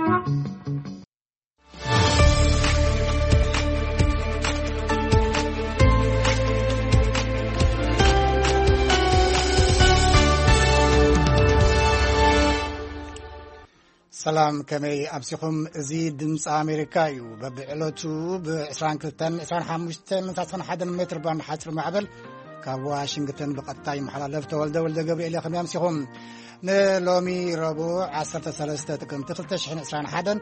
ሰላም፣ ከመይ ኣምሲኹም? እዚ ድምፂ ኣሜሪካ እዩ። በብዕለቱ ብ22፣ 25፣ 31 ሜትር ባንድ ሓፂር ማዕበል ካብ ዋሽንግተን ብቐጥታ ይመሓላለፍ። ተወልደ ወልደ ገብርኤል እየ። ከመይ ኣምሲኹም? ንሎሚ ረቡዕ 13 ጥቅምቲ 2021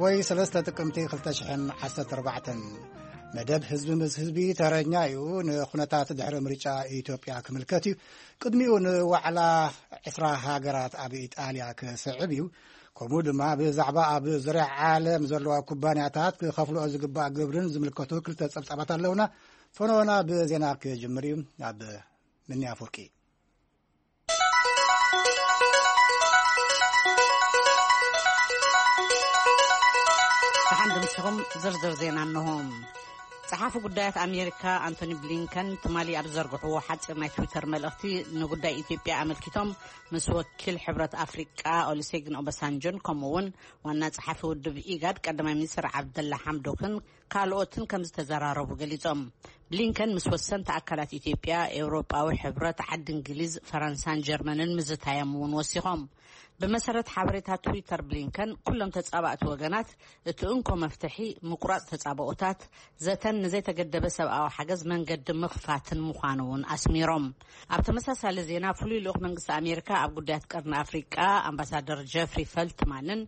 ወይ 3 ጥቅምቲ 2014። መደብ ህዝቢ ምስ ህዝቢ ተረኛ እዩ። ንኩነታት ድሕሪ ምርጫ ኢትዮጵያ ክምልከት እዩ። ቅድሚኡ ንዋዕላ 20 ሃገራት ኣብ ኢጣልያ ክስዕብ እዩ። ከምኡ ድማ ብዛዕባ ኣብ ዙርያ ዓለም ዘለዋ ኩባንያታት ክኸፍልኦ ዝግባእ ግብርን ዝምልከቱ ክልተ ጸብጻባት ኣለውና። ፈነወና ብዜና ክጅምር እዩ። ኣብ ምንያ ፍርቂ። ደሓን ድምስኹም። ዝርዝር ዜና እንሆ። ጸሓፊ ጉዳያት ኣሜሪካ ኣንቶኒ ብሊንከን ትማሊ ኣብ ዝዘርግሕዎ ሓጺር ናይ ትዊተር መልእኽቲ፣ ንጉዳይ ኢትዮጵያ ኣመልኪቶም ምስ ወኪል ሕብረት ኣፍሪቃ ኦሉሴጉን ኦባሳንጆን፣ ከምኡ እውን ዋና ጸሓፊ ውድብ ኢጋድ ቀዳማይ ሚኒስትር ዓብደላ ሓምዶክን ካልኦትን ከም ዝተዘራረቡ ገሊጾም። ብሊንከን ምስ ወሰንቲ ኣካላት ኢትዮጵያ፣ ኤውሮጳዊ ሕብረት፣ ዓዲ እንግሊዝ፣ ፈረንሳን ጀርመንን ምዝታዮም እውን ወሲኾም። ብመሰረት ሓበሬታ ትዊተር ብሊንከን፣ ኩሎም ተጻባእቲ ወገናት እቲ እንኮ መፍትሒ ምቁራጽ ተጻብኦታት፣ ዘተን ንዘይተገደበ ሰብኣዊ ሓገዝ መንገዲ ምኽፋትን ምዃኑ እውን ኣስሚሮም። ኣብ ተመሳሳሊ ዜና፣ ፍሉይ ልኡኽ መንግስቲ ኣሜሪካ ኣብ ጉዳያት ቀርኒ ኣፍሪቃ ኣምባሳደር ጀፍሪ ፈልትማንን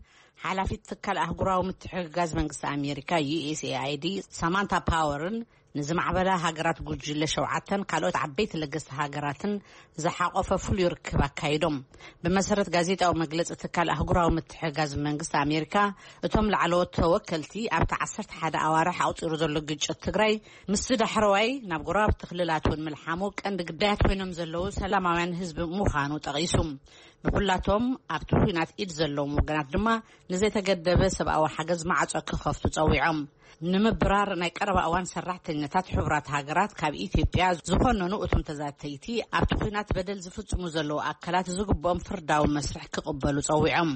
ሓላፊት ትካል ኣህጉራዊ ምትሕግጋዝ መንግስቲ ኣሜሪካ፣ ዩ ኤስ ኤ ኣይ ዲ፣ ሳማንታ ፓወርን ንዝማዕበላ ሃገራት ጉጅለ ሸውዓተን ካልኦት ዓበይቲ ለገስቲ ሃገራትን ዝሓቆፈ ፍሉይ ርክብ ኣካይዶም። ብመሰረት ጋዜጣዊ መግለጺ ትካል ኣህጉራዊ ምትሕግጋዝ መንግስቲ ኣሜሪካ፣ እቶም ላዕለዎት ተወከልቲ ኣብቲ 11 ኣዋርሕ ኣቑጺሩ ዘሎ ግጭት ትግራይ፣ ምስ ዳሕረዋይ ናብ ጎረባብቲ ክልላት እውን ምልሓሙ ቀንዲ ግዳያት ኮይኖም ዘለዉ ሰላማውያን ህዝቢ ምዃኑ ጠቒሱ። ንኹላቶም ኣብቲ ኲናት ኢድ ዘለዎም ወገናት ድማ ንዘይተገደበ ሰብኣዊ ሓገዝ ማዕጾ ክኸፍቱ ጸዊዖም። ንምብራር ናይ ቀረባ እዋን ሰራሕተኛታት ሕቡራት ሃገራት ካብ ኢትዮጵያ ዝኾነኑ እቶም ተዛተይቲ፣ ኣብቲ ኲናት በደል ዝፍጽሙ ዘለዉ ኣካላት ዝግብኦም ፍርዳዊ መስርሕ ክቕበሉ ጸዊዖም።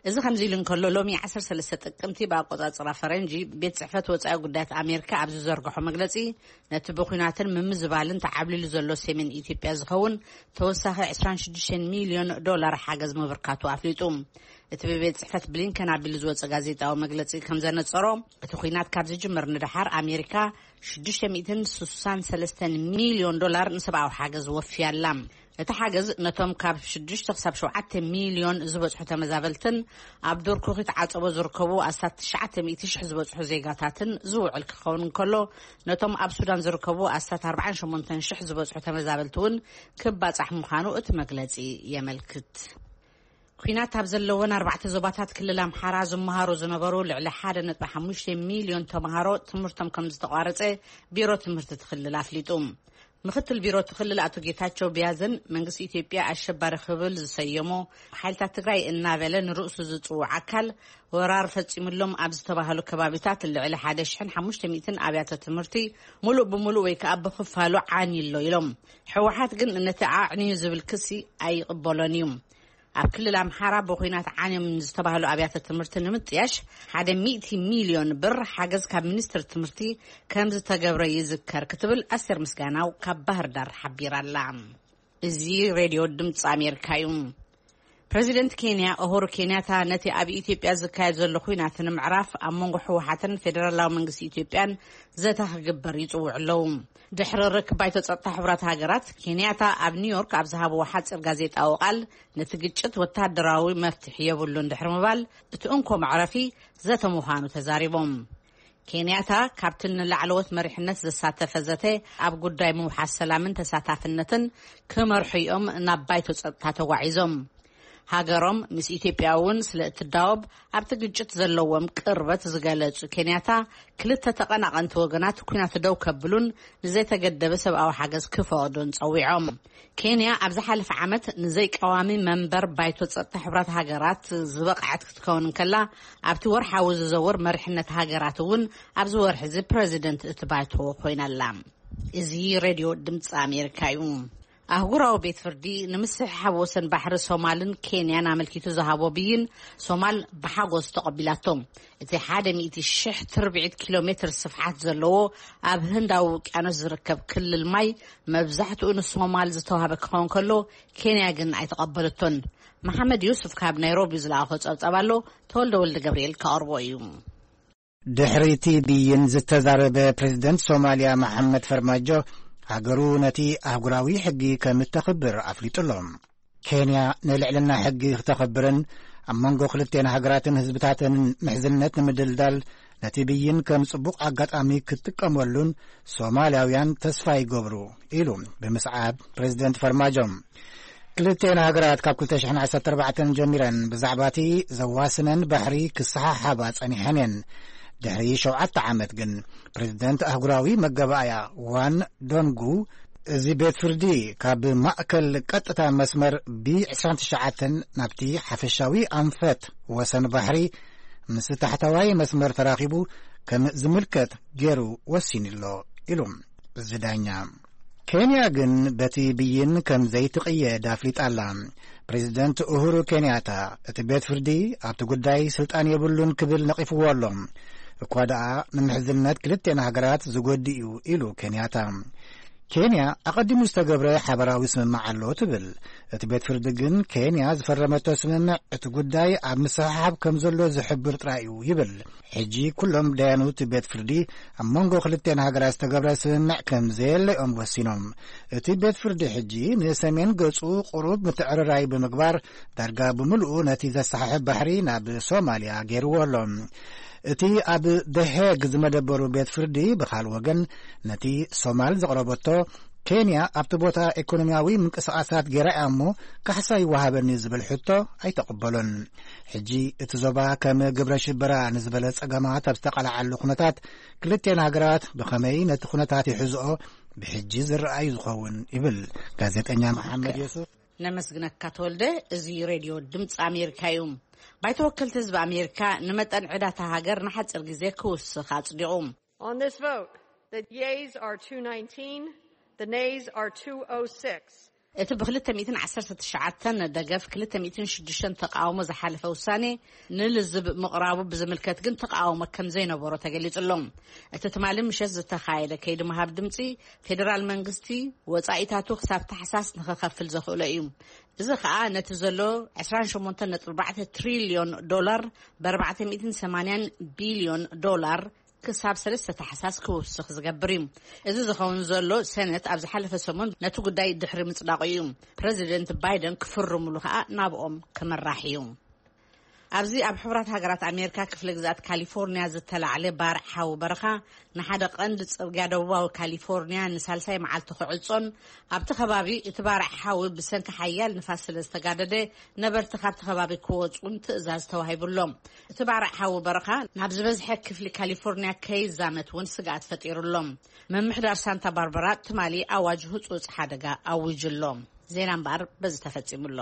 እዚ ከምዚ ኢሉ እንከሎ፣ ሎሚ 13 ጥቅምቲ ብኣቆጻጽራ ፈረንጂ፣ ቤት ጽሕፈት ወጻኢ ጉዳያት ኣሜሪካ ኣብ ዝዘርግሖ መግለጺ፣ ነቲ ብኲናትን ምምዝባልን ተዓብሊሉ ዘሎ ሰሜን ኢትዮጵያ ዝኸውን ተወሳኺ 26 ሚልዮን ዶላር ሓገዝ ምብርካቱ ኣፍሊጡ። እቲ ብቤት ጽሕፈት ብሊንከን ኣቢሉ ዝወጸ ጋዜጣዊ መግለጺ ከም ዘነጸሮ፣ እቲ ኲናት ካብ ዝጅምር ንደሓር ኣሜሪካ 663 ሚልዮን ዶላር ንሰብኣዊ ሓገዝ ወፍያላ። እቲ ሓገዝ ነቶም ካብ 6 ክሳብ 7 ሚልዮን ዝበጽሑ ተመዛበልትን ኣብ ዱር ኩኺት ዓጸቦ ዝርከቡ ኣስታት 900,000 ዝበጽሑ ዜጋታትን ዝውዕል ክኸውን እንከሎ፣ ነቶም ኣብ ሱዳን ዝርከቡ ኣስታት 48,000 ዝበጽሑ ተመዛበልቲ እውን ክባጻሕ ምዃኑ እቲ መግለጺ የመልክት። ኲናት ኣብ ዘለወን ኣርባዕተ ዞባታት ክልል ኣምሓራ ዝመሃሩ ዝነበሩ ልዕሊ 1.5 ሚልዮን ተምሃሮ ትምህርቶም ከም ዝተቋረጸ ቢሮ ትምህርቲ እቲ ክልል ኣፍሊጡ። ምክትል ቢሮ እቲ ክልል ኣቶ ጌታቸው ቢያዝን፣ መንግስቲ ኢትዮጵያ ኣሸባሪ ክብል ዝሰየሞ፣ ሓይልታት ትግራይ እናበለ ንርእሱ ዝጽውዕ ኣካል፣ ወራር ፈጺሙሎም ኣብ ዝተባህሉ ከባቢታት ልዕሊ 1,500 ኣብያተ ትምህርቲ ሙሉእ ብሙሉእ ወይ ከኣ ብኽፋሉ ዓንዩ ኣሎ ኢሎም። ህወሓት ግን ነቲ ኣዕንዩ ዝብል ክሲ ኣይቕበሎን እዩ። ኣብ ክልል ኣምሓራ ብኹናት ዓንዮም ዝተባህሉ ኣብያተ ትምህርቲ ንምጥያሽ 100 ሚልዮን ብር ሓገዝ ካብ ሚኒስትሪ ትምህርቲ ከም ዝተገብረ ይዝከር ክትብል ኣስቴር ምስጋናው ካብ ባህር ዳር ሓቢራ ኣላ። እዚ ሬድዮ ድምፂ ኣሜሪካ እዩ። ፕሬዚደንት ኬንያ ኡሁሩ ኬንያታ ነቲ ኣብ ኢትዮጵያ ዝካየድ ዘሎ ኹናት ንምዕራፍ ኣብ መንጎ ህወሓትን ፌደራላዊ መንግስቲ ኢትዮጵያን ዘተ ክግበር ይጽውዑ ኣለዉ። ድሕሪ ርክብ ባይቶ ጸጥታ ሕቡራት ሃገራት፣ ኬንያታ ኣብ ኒውዮርክ ኣብ ዝሃብዎ ሓጺር ጋዜጣዊ ቃል፣ ነቲ ግጭት ወታደራዊ መፍትሒ የብሉን ድሕሪ ምባል፣ እቲ እንኮ መዕረፊ ዘተ ምዃኑ ተዛሪቦም። ኬንያታ ካብቲ ንላዕለዎት መሪሕነት ዘሳተፈ ዘተ ኣብ ጉዳይ ምውሓስ ሰላምን ተሳታፍነትን ክመርሑ እዮም ናብ ባይቶ ጸጥታ ተጓዒዞም። ሃገሮም ምስ ኢትዮጵያ እውን ስለ እትዳወብ፣ ኣብቲ ግጭት ዘለዎም ቅርበት ዝገለጹ ኬንያታ፣ ክልተ ተቐናቐንቲ ወገናት ኲናት ደው ከብሉን ንዘይተገደበ ሰብኣዊ ሓገዝ ክፈቕዱን ጸዊዖም። ኬንያ ኣብ ዝሓለፈ ዓመት ንዘይቀዋሚ መንበር ባይቶ ጸጥታ ሕቡራት ሃገራት ዝበቕዐት ክትከውን እንከላ፣ ኣብቲ ወርሓዊ ዝዘውር መሪሕነት ሃገራት እውን ኣብዚ ወርሒ እዚ ፕረዚደንት እቲ ባይቶ ኮይና ኣላ። እዚ ሬድዮ ድምፂ ኣሜሪካ እዩ። ኣህጉራዊ ቤት ፍርዲ ንምስሕሓብ ወሰን ባሕሪ ሶማልን ኬንያን ኣመልኪቱ ዝሃቦ ብይን ሶማል ብሓጎስ ተቐቢላቶ። እቲ ሓደ ሚእቲ ሽሕ ትርብዒት ኪሎ ሜትር ስፍሓት ዘለዎ ኣብ ህንዳዊ ውቅያኖስ ዝርከብ ክልል ማይ መብዛሕትኡ ንሶማል ዝተዋህበ ክኸውን ከሎ፣ ኬንያ ግን ኣይተቐበለቶን። መሓመድ ዩሱፍ ካብ ናይሮቢ ዝለኣኾ ጸብጻብ ኣሎ፣ ተወልደ ወልደ ገብርኤል ከቕርቦ እዩ። ድሕሪ እቲ ብይን ዝተዛረበ ፕሬዝደንት ሶማልያ መሓመድ ፈርማጆ፣ ሃገሩ ነቲ ኣህጉራዊ ሕጊ ከም እተኽብር ኣፍሊጡ ኣሎ። ኬንያ ንልዕልና ሕጊ ክተኽብርን ኣብ መንጎ ክልቴን ሃገራትን ህዝብታተንን ምሕዝነት ንምድልዳል ነቲ ብይን ከም ጽቡቕ ኣጋጣሚ ክትጥቀመሉን ሶማልያውያን ተስፋ ይገብሩ፣ ኢሉ ብምስዓብ ፕሬዝደንት ፈርማጆ። ክልቴን ሃገራት ካብ ክልተ ሽሕን ዓሰርተ ኣርባዕተን ጀሚረን ብዛዕባ እቲ ዘዋስነን ባሕሪ ክሰሓሓባ ጸኒሐን እየን። ድሕሪ ሸውዓተ ዓመት ግን ፕሬዝደንት ኣህጉራዊ መገባእያ ዋን ዶንጉ፣ እዚ ቤት ፍርዲ ካብ ማእከል ቀጥታ መስመር ቢ ዕስራን ትሽዓተን ናብቲ ሓፈሻዊ ኣንፈት ወሰን ባሕሪ ምስ ታሕታዋይ መስመር ተራኺቡ ከም ዝምልከት ገይሩ ወሲኑ ኣሎ፣ ኢሉ እዚ ዳኛ። ኬንያ ግን በቲ ብይን ከም ዘይትቕየድ ኣፍሊጣ ኣላ። ፕሬዝደንት ኡሁሩ ኬንያታ፣ እቲ ቤት ፍርዲ ኣብቲ ጉዳይ ስልጣን የብሉን ክብል ነቒፍዎ ኣሎ። እኳ ደኣ ንምሕዝነት ክልቴን ሃገራት ዝጎድእ እዩ፣ ኢሉ ኬንያታ። ኬንያ ኣቐዲሙ ዝተገብረ ሓበራዊ ስምምዕ ኣሎ ትብል። እቲ ቤት ፍርዲ ግን ኬንያ ዝፈረመቶ ስምምዕ እቲ ጉዳይ ኣብ ምስሕሓብ ከም ዘሎ ዝሕብር ጥራይ እዩ ይብል። ሕጂ ኩሎም ዳያኑ እቲ ቤት ፍርዲ ኣብ መንጎ ክልቴን ሃገራት ዝተገብረ ስምምዕ ከም ዘየለ እዮም ወሲኖም። እቲ ቤት ፍርዲ ሕጂ ንሰሜን ገጹ ቁሩብ ምትዕርራይ ብምግባር ዳርጋ ብምልኡ ነቲ ዘሰሓሕብ ባሕሪ ናብ ሶማልያ ገይርዎ ኣሎ። እቲ ኣብ ደሄግ ዝመደበሩ ቤት ፍርዲ ብኻል ወገን ነቲ ሶማል ዘቕረበቶ ኬንያ ኣብቲ ቦታ ኢኮኖሚያዊ ምንቅስቓሳት ገይራ እያ እሞ ካሕሳ ይወሃበኒ ዝብል ሕቶ ኣይተቐበሎን። ሕጂ እቲ ዞባ ከም ግብረ ሽበራ ንዝበለ ጸገማት ኣብ ዝተቓልዓሉ ኩነታት ክልቴን ሃገራት ብኸመይ ነቲ ኩነታት ይሕዝኦ ብሕጂ ዝረኣዩ ዝኸውን ይብል ጋዜጠኛ መሓመድ የሱፍ። ነመስግነካ ተወልደ። እዚ ሬድዮ ድምፂ ኣሜሪካ እዩ። ባይቶ ወከልቲ ህዝቢ ኣሜሪካ ንመጠን ዕዳታ ሃገር ንሓፂር ግዜ ክውስኽ ኣፅዲቑ። On this vote, the yeas are two nineteen, the nays are two oh six. እቲ ብ ክልተ ሚእትን ዓሰርተ ትሽዓተን ደገፍ፣ ክልተ ሚእትን ሽዱሽተን ተቃውሞ ዝሓለፈ ውሳኔ ንልዝብ ምቕራቡ ብዝምልከት ግን ተቃውሞ ከም ዘይነበሮ ተገሊጹ ኣሎ። እቲ ትማሊ ምሸት ዝተኻየደ ከይዲ ምሃብ ድምጺ፣ ፌደራል መንግስቲ ወጻኢታቱ ክሳብ ታሕሳስ ንኽኸፍል ዘኽእሎ እዩ። እዚ ኸኣ ነቲ ዘሎ ዕስራን ሸሞንተን ነጥቢ ኣርባዕተ ትሪልዮን ዶላር ብ ኣርባዕተ ሚእትን ሰማንያን ቢልዮን ዶላር ክሳብ ሰለስተ ታሕሳስ ክውስኽ ዝገብር እዩ። እዚ ዝኸውን ዘሎ ሰነት ኣብ ዝሓለፈ ሰሙን ነቲ ጉዳይ ድሕሪ ምጽዳቑ እዩ። ፕረዚደንት ባይደን ክፍርሙሉ ከኣ ናብኦም ክምራሕ እዩ። ኣብዚ ኣብ ሕቡራት ሃገራት ኣሜሪካ ክፍለ ግዝኣት ካሊፎርኒያ ዝተላዕለ ባርዕ ሓዊ በረኻ ንሓደ ቀንዲ ጽርግያ ደቡባዊ ካሊፎርኒያ ንሳልሳይ መዓልቲ ክዕጾን ኣብቲ ከባቢ እቲ ባርዕ ሓዊ ብሰንኪ ሓያል ንፋስ ስለ ዝተጋደደ ነበርቲ ካብቲ ከባቢ ክወጹን ትእዛዝ ተዋሂቡ ኣሎ። እቲ ባርዕ ሓዊ በረኻ ናብ ዝበዝሐ ክፍሊ ካሊፎርኒያ ከይዛመት እውን ስግኣት ፈጢሩ ኣሎ። ምምሕዳር ሳንታ ባርበራ ትማሊ ኣዋጅ ህጹጽ ሓደጋ ኣዊጁ ኣሎ። ዜና እምበኣር በዚ ተፈጺሙ ኣሎ።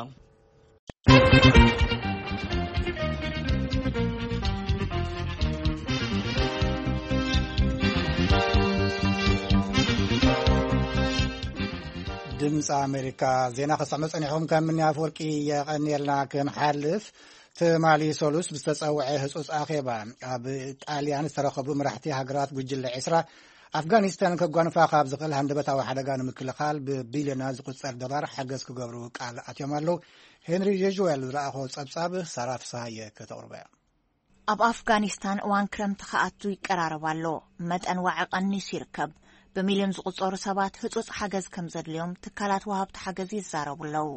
ድምፂ ኣሜሪካ ዜና ከሰምዑ ጸኒሖም። ከም ምኒ ኣፈወርቂ የቐንየልና። ክንሓልፍ፣ ትማሊ ሰሉስ ብዝተጸውዐ ህጹጽ ኣኼባ ኣብ ጣልያን ዝተረኸቡ መራሕቲ ሃገራት ጉጅለ ዕስራ ኣፍጋኒስታን ከጓንፋ ካብ ዝኽእል ሃንደበታዊ ሓደጋ ንምክልኻል ብቢልዮናት ዝቑጸር ዶላር ሓገዝ ክገብሩ ቃል ኣትዮም ኣለዉ። ሄንሪ ጀጅዌል ዝለኣኾ ጸብጻብ ሳራ ፍስሃየ ከተቕርቦ እያ። ኣብ ኣፍጋኒስታን እዋን ክረምቲ ክኣቱ ይቀራረብ ኣሎ። መጠን ዋዒ ቀኒሱ ይርከብ። ብሚልዮን ዝቑጸሩ ሰባት ህጹጽ ሓገዝ ከም ዘድልዮም ትካላት ወሃብቲ ሓገዝ ይዛረቡ ኣለዉ።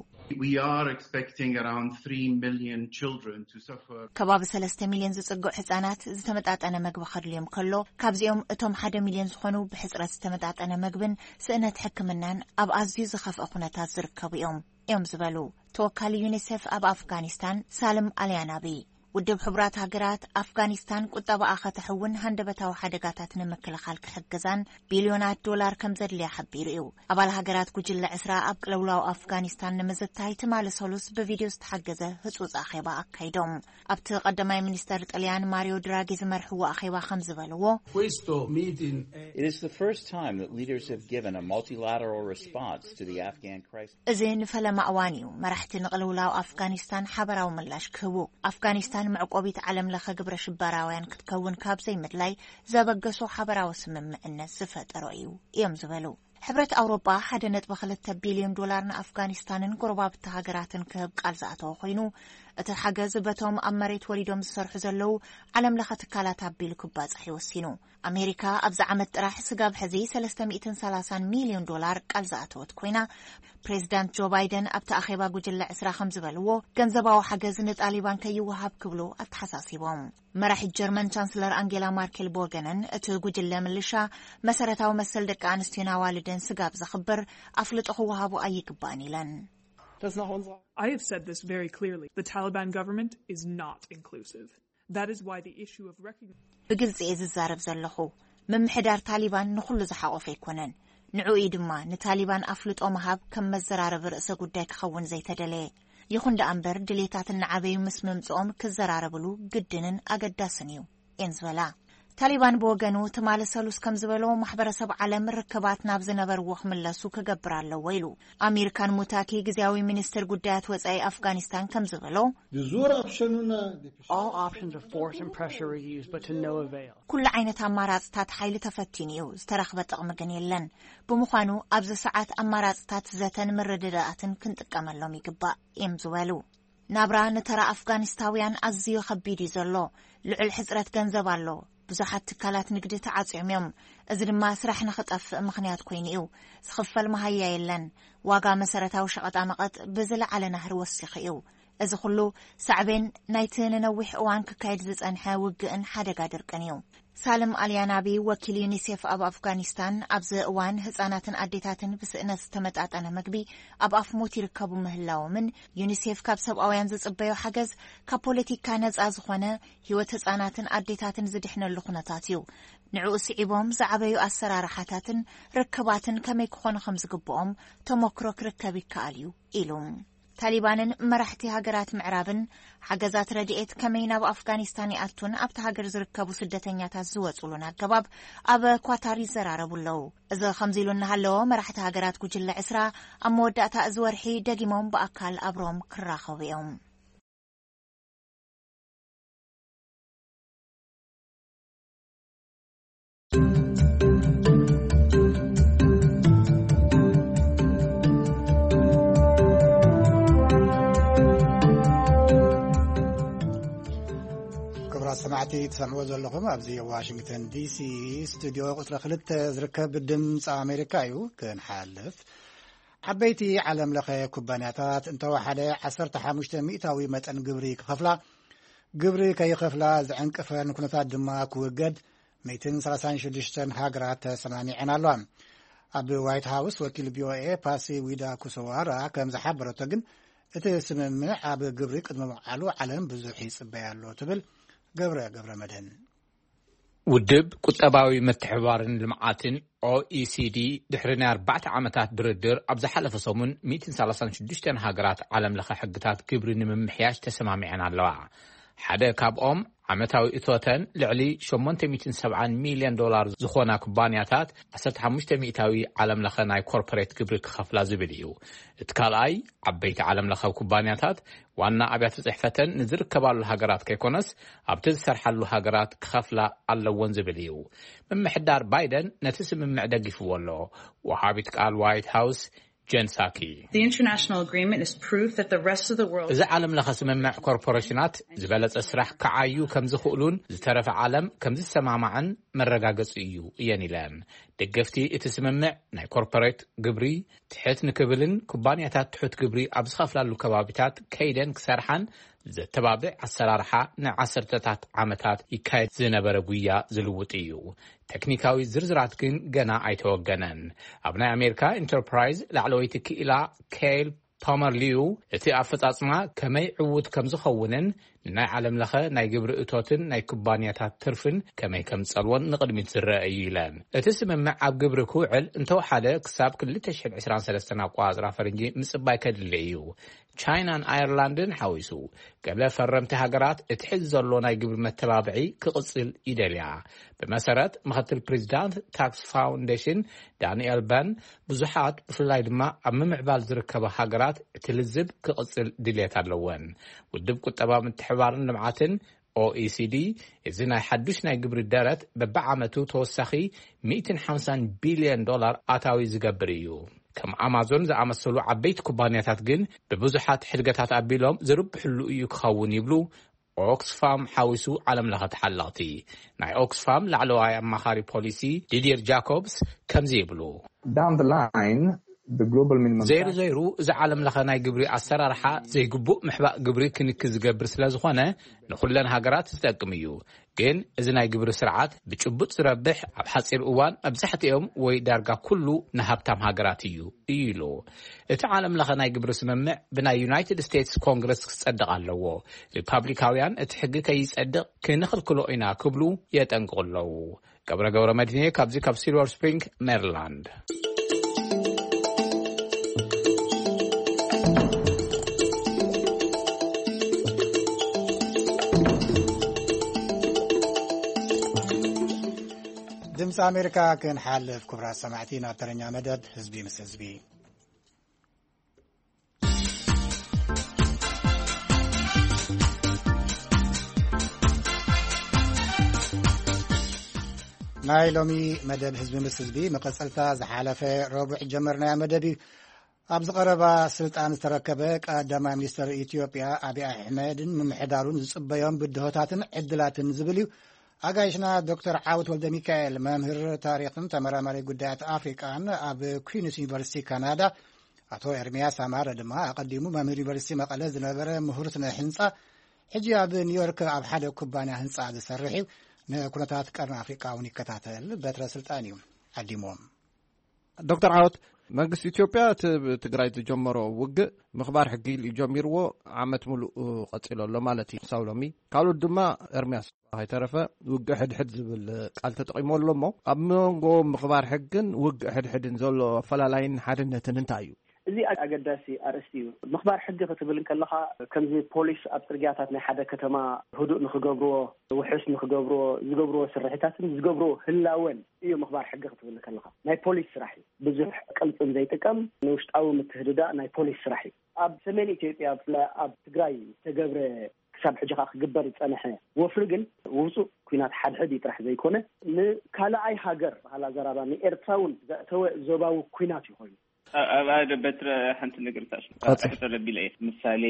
We are expecting around three million children to suffer. ከባቢ ሰለስተ ሚልዮን ዝጽግዑ ህጻናት ዝተመጣጠነ መግቢ ከድልዮም ከሎ፣ ካብዚኦም እቶም ሓደ ሚልዮን ዝኾኑ ብሕጽረት ዝተመጣጠነ መግብን ስእነት ሕክምናን ኣብ ኣዝዩ ዝኸፍአ ኩነታት ዝርከቡ እዮም፣ እዮም ዝበሉ ተወካሊ ዩኒሴፍ ኣብ ኣፍጋኒስታን ሳልም ኣልያናቢ። ውድብ ሕቡራት ሃገራት፣ ኣፍጋኒስታን ቁጠባኣ ከተሕውን ሃንደበታዊ ሓደጋታት ንምክልኻል ክሕግዛን ቢልዮናት ዶላር ከም ዘድልያ ሓቢሩ እዩ። ኣባል ሃገራት ጉጅለ ዕስራ ኣብ ቅልውላው ኣፍጋኒስታን ንምዝታይ ትማሊ ሰሉስ ብቪድዮ ዝተሓገዘ ህጹጽ ኣኼባ ኣካይዶም። ኣብቲ ቀዳማይ ሚኒስተር ጥልያን ማሪዮ ድራጊ ዝመርሕዎ ኣኼባ ከም ዝበልዎ፣ Questo meeting è It is the first time that leaders have given a multilateral response to the Afghan crisis. እዚ ንፈለማ እዋን እዩ መራሕቲ ንቕልውላው ኣፍጋኒስታን ሓበራዊ ምላሽ ክህቡ። ኣፍጋኒስታን መዕቆቢት ዓለም ለኸ ግብረ ሽበራውያን ክትከውን ካብ ዘይምድላይ ዘበገሶ ሓበራዊ ስምምዕነት ዝፈጠሮ እዩ እዮም ዝበሉ። ሕብረት ኣውሮጳ ሓደ ነጥቢ ክልተ ቢልዮን ዶላር ንኣፍጋኒስታንን ጎረባብቲ ሃገራትን ክህብ ቃል ዝኣተወ ኮይኑ፣ እቲ ሓገዝ በቶም ኣብ መሬት ወሪዶም ዝሰርሑ ዘለዉ ዓለም ለኸ ትካላት ኣቢሉ ክባጻሕ ይወሲኑ። ኣሜሪካ ኣብዚ ዓመት ጥራሕ ስጋብ ሕዚ ሰለስተ ሚእትን ሰላሳን ሚልዮን ዶላር ቃል ዝኣተወት ኮይና፣ ፕሬዚዳንት ጆ ባይደን ኣብቲ ኣኼባ ጉጅለ ዕስራ ከም ዝበልዎ፣ ገንዘባዊ ሓገዝ ንጣሊባን ከይወሃብ ክብሉ ኣተሓሳሲቦም። መራሒት ጀርመን ቻንስለር ኣንጌላ ማርኬል ቦገነን፣ እቲ ጉጅለ ምልሻ መሰረታዊ መሰል ደቂ ኣንስትዮን ኣዋልድን ስጋብ ዘኽብር ኣፍልጦ ክወሃቡ ኣይግባእን ኢለን። I have said this very clearly. The Taliban government is not inclusive. That is why the issue of recognition. ብግልጺ እየ ዝዛረብ ዘለኹ። ምምሕዳር ታሊባን ንኹሉ ዝሓቆፈ ኣይኮነን። ንዕኡ እዩ ድማ ንታሊባን ኣፍልጦ ምሃብ ከም መዘራረቢ ርእሰ ጉዳይ ክኸውን ዘይተደለየ። ይኹን ደኣ እምበር ድሌታት እናዓበዩ ምስ ምምጽኦም ክዘራረብሉ ግድንን ኣገዳስን እዩ እየን ዝበላ። ታሊባን ብወገኑ ትማሊ ሰሉስ ከም ዝበሎ ማሕበረሰብ ዓለም ርክባት ናብ ዝነበርዎ ክምለሱ ክገብር ኣለዎ ኢሉ። ኣሚር ካን ሙታኪ ግዝያዊ ሚኒስትር ጉዳያት ወጻኢ ኣፍጋኒስታን ከም ዝበሎ Duzor optionuna All options of force and pressure were used, but to no avail. ኩሉ ዓይነት ኣማራፅታት ሓይሊ ተፈቲኑ እዩ፣ ዝተረኽበ ጥቕሚ ግን የለን። ብምዃኑ ኣብዚ ሰዓት ኣማራፅታት ዘተን ምርድዳኣትን ክንጥቀመሎም ይግባእ እዮም ዝበሉ። ናብራ ንተራ ኣፍጋኒስታውያን ኣዝዩ ከቢድ እዩ ዘሎ። ልዑል ሕፅረት ገንዘብ ኣሎ። ብዙሓት ትካላት ንግዲ ተዓፅዮም እዮም። እዚ ድማ ስራሕ ንኽጠፍእ ምኽንያት ኮይኑ እዩ። ዝኽፈል መሃያ የለን። ዋጋ መሰረታዊ ሸቐጣመቐጥ ብዝለዓለ ናህሪ ወሲኹ እዩ። እዚ ኩሉ ሳዕቤን ናይቲ ንነዊሕ እዋን ክካየድ ዝጸንሐ ውግእን ሓደጋ ድርቅን እዩ። ሳልም ኣልያናቢ ወኪል ዩኒሴፍ ኣብ ኣፍጋኒስታን፣ ኣብዚ እዋን ህጻናትን ኣዴታትን ብስእነት ዝተመጣጠነ መግቢ ኣብ ኣፍ ሞት ይርከቡ ምህላዎምን ዩኒሴፍ ካብ ሰብኣውያን ዝጽበዮ ሓገዝ ካብ ፖለቲካ ነጻ ዝኾነ ህይወት ህጻናትን ኣዴታትን ዝድሕነሉ ኩነታት እዩ። ንዕኡ ስዒቦም ዝዓበዩ ኣሰራርሓታትን ርክባትን ከመይ ክኾኑ ከም ዝግብኦም ተመክሮ ክርከብ ይከኣል እዩ ኢሉ። ታሊባንን መራሕቲ ሃገራት ምዕራብን ሓገዛት ረድኤት ከመይ ናብ ኣፍጋኒስታን ይኣቱን ኣብቲ ሃገር ዝርከቡ ስደተኛታት ዝወጹሉን ኣገባብ ኣብ ኳታር ይዘራረቡ ኣለዉ። እዚ ከምዚ ኢሉ እናሃለዎ መራሕቲ ሃገራት ጉጅለ ዕስራ ኣብ መወዳእታ እዚ ወርሒ ደጊሞም ብኣካል ኣብ ሮም ክራኸቡ እዮም። ክቡራት ሰማዕቲ ትሰምዑ ዘለኹም ኣብዚ ዋሽንግተን ዲሲ ስቱዲዮ ቁፅሪ ክልተ ዝርከብ ድምፂ ኣሜሪካ እዩ። ክንሓልፍ ዓበይቲ ዓለም ለኸ ኩባንያታት እንተወሓደ ዓሰርተ ሓሙሽተ ሚእታዊ መጠን ግብሪ ክኸፍላ፣ ግብሪ ከይኸፍላ ዝዕንቅፈን ኩነታት ድማ ክውገድ ሚእትን ሰላሳን ሽዱሽተን ሃገራት ተሰማሚዐን ኣለዋ። ኣብ ዋይት ሃውስ ወኪል ቪኦኤ ፓሲ ዊዳ ኩሶዋራ ከም ዝሓበረቶ ግን እቲ ስምምዕ ኣብ ግብሪ ቅድሚ ምውዓሉ ዓለም ብዙሕ ይጽበያ ኣሎ ትብል ገብረ ገብረ መድህን። ውድብ ቁጠባዊ ምትሕብባርን ልምዓትን ኦኢሲዲ ድሕሪ ናይ ኣርባዕተ ዓመታት ድርድር ኣብ ዝሓለፈ ሰሙን ሚእትን ሰላሳን ሽዱሽተን ሃገራት ዓለም ለኸ ሕግታት ግብሪ ንምምሕያሽ ተሰማሚዐን ኣለዋ። ሓደ ካብኦም ዓመታዊ እቶተን ልዕሊ ሸሞንተ ሚእትን ሰብዓን ሚልዮን ዶላር ዝኾና ኩባንያታት ዓሰርተ ሓሙሽተ ሚእታዊ ዓለም ለኸ ናይ ኮርፖሬት ግብሪ ክኸፍላ ዝብል እዩ። እቲ ካልኣይ ዓበይቲ ዓለም ለኸ ኩባንያታት ዋና ኣብያተ ጽሕፈተን ንዝርከባሉ ሃገራት ከይኮነስ ኣብቲ ዝሰርሓሉ ሃገራት ክኸፍላ ኣለዎን ዝብል እዩ። ምምሕዳር ባይደን ነቲ ስምምዕ ደጊፍዎ ኣሎ። ወሃቢት ቃል ዋይት ሃውስ ጀን ሳኪ The international agreement is proof that the rest of the world እዚ ዓለም ለኸ ስምምዕ ኮርፖሬሽናት ዝበለጸ ስራሕ ክዓዩ ከም ዝኽእሉን ዝተረፈ ዓለም ከም ዝሰማማዕን መረጋገጺ እዩ እየን ኢለን። ደገፍቲ እቲ ስምምዕ ናይ ኮርፖሬት ግብሪ ትሕት ንክብልን ኩባንያታት ትሑት ግብሪ ኣብ ዝኸፍላሉ ከባቢታት ከይደን ክሰርሓን ዘተባብዕ ኣሰራርሓ ንዓሰርተታት ዓመታት ይካየድ ዝነበረ ጉያ ዝልውጥ እዩ። ቴክኒካዊ ዝርዝራት ግን ገና ኣይተወገነን። ኣብ ናይ ኣሜሪካ ኢንተርፕራይዝ ላዕለወይቲ ክኢላ ኬል ቶመር ሊዩ እቲ ኣፈጻጽማ ከመይ ዕዉት ከም ዝኸውንን ንናይ ዓለም ለኸ ናይ ግብሪ እቶትን ናይ ኩባንያታት ትርፍን ከመይ ከም ዝጸልዎን ንቕድሚት ዝረአ እዩ ኢለን። እቲ ስምምዕ ኣብ ግብሪ ክውዕል እንተወሓደ ክሳብ ክልተ ሽሕን ዕስራን ሰለስተን ኣቆጻጽራ ፈረንጂ ምጽባይ ከድሊ እዩ። ቻይናን ኣየርላንድን ሓዊሱ ገለ ፈረምቲ ሃገራት እቲ ሕዚ ዘሎ ናይ ግብሪ መተባብዒ ክቕጽል ይደልያ። ብመሰረት ምኽትል ፕሬዚዳንት ታክስ ፋውንዴሽን ዳንኤል በን፣ ብዙሓት ብፍላይ ድማ ኣብ ምምዕባል ዝርከባ ሃገራት እቲ ልዝብ ክቕጽል ድልየት ኣለወን። ውድብ ቁጠባ ምትሕባርን ልምዓትን ኦኢሲዲ፣ እዚ ናይ ሓዱሽ ናይ ግብሪ ደረት በብዓመቱ ተወሳኺ ሚእትን ሓምሳን ቢልዮን ዶላር ኣታዊ ዝገብር እዩ። ከም ኣማዞን ዝኣመሰሉ ዓበይቲ ኩባንያታት ግን ብብዙሓት ሕድገታት ኣቢሎም ዝርብሕሉ እዩ ክኸውን ይብሉ ኦክስፋም ሓዊሱ ዓለም ለኸ ተሓለቕቲ። ናይ ኦክስፋም ላዕለዋይ ኣማኻሪ ፖሊሲ ዲዲር ጃኮብስ ከምዚ ይብሉ። Down the line, the global minimum ዘይሩ ዘይሩ እዚ ዓለም ለኸ ናይ ግብሪ ኣሰራርሓ ዘይግቡእ ምሕባእ ግብሪ ክንኪ ዝገብር ስለ ዝኾነ ንኹለን ሃገራት ዝጠቅም እዩ። ግን እዚ ናይ ግብሪ ስርዓት ብጭቡጥ ዝረብሕ ኣብ ሓፂር እዋን መብዛሕትኦም ወይ ዳርጋ ኩሉ ንሃብታም ሃገራት እዩ እዩ ኢሉ። እቲ ዓለም ለኸ ናይ ግብሪ ስምምዕ ብናይ ዩናይትድ ስቴትስ ኮንግረስ ክጸድቕ ኣለዎ። ሪፓብሊካውያን እቲ ሕጊ ከይጸድቕ ክንኽልክሎ ኢና ክብሉ የጠንቅቑ ኣለዉ። ገብረ ገብረ መድህኔ ካብዚ ካብ ሲልቨር ስፕሪንግ ሜሪላንድ። ድምፂ ኣሜሪካ ክንሓልፍ ክቡራት ሰማዕቲ ናብ ተረኛ መደብ ህዝቢ ምስ ህዝቢ። ናይ ሎሚ መደብ ህዝቢ ምስ ህዝቢ መቐጸልታ ዝሓለፈ ረቡዕ ጀመርናያ መደብ እዩ። ኣብዚ ቀረባ ስልጣን ዝተረከበ ቀዳማይ ሚኒስተር ኢትዮጵያ ኣብይ ኣሕመድን ምምሕዳሩን ዝጽበዮም ብድሆታትን ዕድላትን ዝብል እዩ። ኣጋይሽና ዶክተር ዓወት ወልደ ሚካኤል መምህር ታሪኽን ተመራማሪ ጉዳያት ኣፍሪቃን ኣብ ኩዊንስ ዩኒቨርሲቲ ካናዳ፣ ኣቶ ኤርሚያስ ኣማረ ድማ ኣቐዲሙ መምህር ዩኒቨርሲቲ መቐለ ዝነበረ ምሁር ስነ ህንጻ ሕጂ ኣብ ኒውዮርክ ኣብ ሓደ ኩባንያ ህንጻ ዝሰርሕ እዩ። ንኩነታት ቀርኒ ኣፍሪቃ እውን ይከታተል በትረ ስልጣን እዩ ዓዲምዎም። ዶክተር ዓወት፣ መንግስቲ ኢትዮጵያ እቲ ትግራይ ዝጀመሮ ውግእ ምኽባር ሕጊ ኢሉ ጀሚርዎ ዓመት ሙሉእ ቀፂሎ ኣሎ ማለት እዩ። ሳው ሎሚ ካልኦት ድማ ኤርሚያስ ከይተረፈ ውግእ ሕድሕድ ዝብል ቃል ተጠቂሞ ኣሎ። እሞ ኣብ መንጎ ምኽባር ሕግን ውግእ ሕድሕድን ዘሎ ኣፈላላይን ሓድነትን እንታይ እዩ? እዚ ኣገዳሲ ኣርእስቲ እዩ። ምኽባር ሕጊ ክትብል እንከለኻ ከምዚ ፖሊስ ኣብ ፅርግያታት ናይ ሓደ ከተማ ህዱእ ንክገብርዎ፣ ውሑስ ንክገብርዎ ዝገብርዎ ስርሒታትን ዝገብርዎ ህላወን እዩ ምኽባር ሕጊ ክትብል ከለኻ ናይ ፖሊስ ስራሕ እዩ። ብዙሕ ቅልፅም ዘይጥቀም ንውሽጣዊ ምትህድዳእ ናይ ፖሊስ ስራሕ እዩ። ኣብ ሰሜን ኢትዮጵያ ብፍላይ ኣብ ትግራይ ዝተገብረ ክሳብ ሕጂ ከዓ ክግበር ዝፀንሐ ወፍሪ ግን ውፁእ ኩናት ሓድሕድ እዩ ጥራሕ ዘይኮነ ንካልኣይ ሃገር ባህላ ዘራባ ንኤርትራ እውን ዘእተወ ዞባዊ ኩናት እዩ ኮይኑ። ኣብ ኣደ በትረ ሓንቲ ነገር ታሽ ሕቶ ለቢለ እየ። ምሳሌ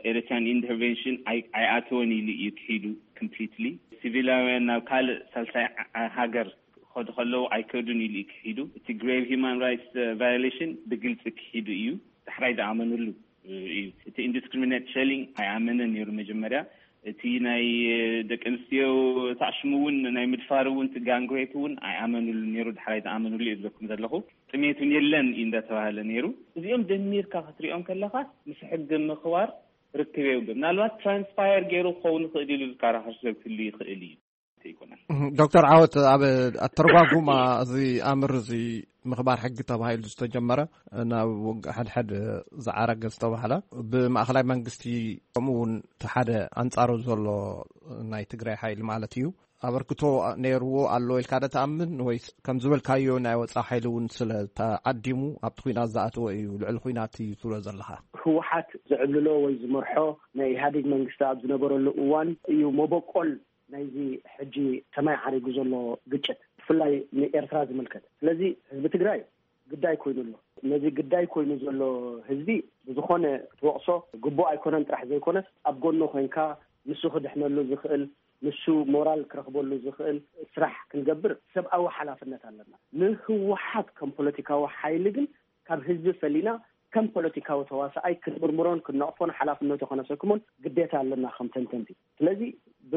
ኤሪትራን ኢንተርቨንሽን ኣይኣተወን ኢሉ እዩ ክሒዱ። ኮምፕሊትሊ ሲቪላውያን ናብ ካልእ ሳልሳይ ሃገር ክኸዱ ከለዉ ኣይከዱን ኢሉ እዩ ክሒዱ። እቲ ግሬቭ ሂማን ራይትስ ቫዮሌሽን ብግልፂ ክሒዱ እዩ። ዳሕራይ ዝኣመንሉ እዩ። እቲ ኢንዲስክሪሚኔት ሸሊንግ ኣይኣመነን ነይሩ መጀመርያ። እቲ ናይ ደቂ ኣንስትዮ ታዕሽሙ እውን ናይ ምድፋር እውን እቲ ጋንግሬፕ እውን ኣይኣመንሉ ነይሩ። ዳሕራይ ዝኣመንሉ እየ ዝብለኩም ዘለኹ። ጥሜት እውን የለን እዩ እንዳተባሃለ ነይሩ። እዚኦም ደሚርካ ክትሪኦም ከለኻ ምስ ሕጊ ምኽባር ርክብ የብሉን። ምናልባት ትራንስፓየር ገይሩ ክኸውን ይኽእል ኢሉ ዝከራኸር ሰብ ክህሉ ይኽእል እዩ። ኣይኮነን። ዶክተር ዓወት፣ ኣብ ኣተረጓጉማ እዚ ኣምር እዚ ምኽባር ሕጊ ተባሂሉ ዝተጀመረ ናብ ውግእ ሕድሕድ ዝዓረገ ዝተባህለ ብማእኸላይ መንግስቲ ከምኡ እውን እቲ ሓደ ኣንፃሩ ዘሎ ናይ ትግራይ ሓይሊ ማለት እዩ ኣበርክቶ ነይርዎ ኣሎ ኢልካ ዶ ትኣምን ወይስ ከም ዝበልካዮ ናይ ወፃእ ሓይሊ እውን ስለ ተዓዲሙ ኣብቲ ኩናት ዝኣተወ እዩ ልዕሊ ኩናት እዩ ትብሎ ዘለኻ? ህወሓት ዝዕብልሎ ወይ ዝመርሖ ናይ ኢህኣዴግ መንግስቲ ኣብ ዝነበረሉ እዋን እዩ መበቆል ናይዚ ሕጂ ሰማይ ዓሪጉ ዘሎ ግጭት ብፍላይ ንኤርትራ ዝምልከት። ስለዚ ህዝቢ ትግራይ ግዳይ ኮይኑ ኣሎ። ነዚ ግዳይ ኮይኑ ዘሎ ህዝቢ ብዝኾነ ክትወቕሶ ግቡእ ኣይኮነን ጥራሕ ዘይኮነስ ኣብ ጎኑ ኮይንካ ንሱ ክድሕነሉ ዝኽእል ንሱ ሞራል ክረኽበሉ ዝኽእል ስራሕ ክንገብር ሰብኣዊ ሓላፍነት ኣለና። ንህወሓት ከም ፖለቲካዊ ሓይሊ ግን ካብ ህዝቢ ፈሊና ከም ፖለቲካዊ ተዋሳኣይ ክንምርምሮን ክንነቕፎን ሓላፍነቱ ከነሰክሞን ግዴታ ኣለና ከም ተንተንቲ። ስለዚ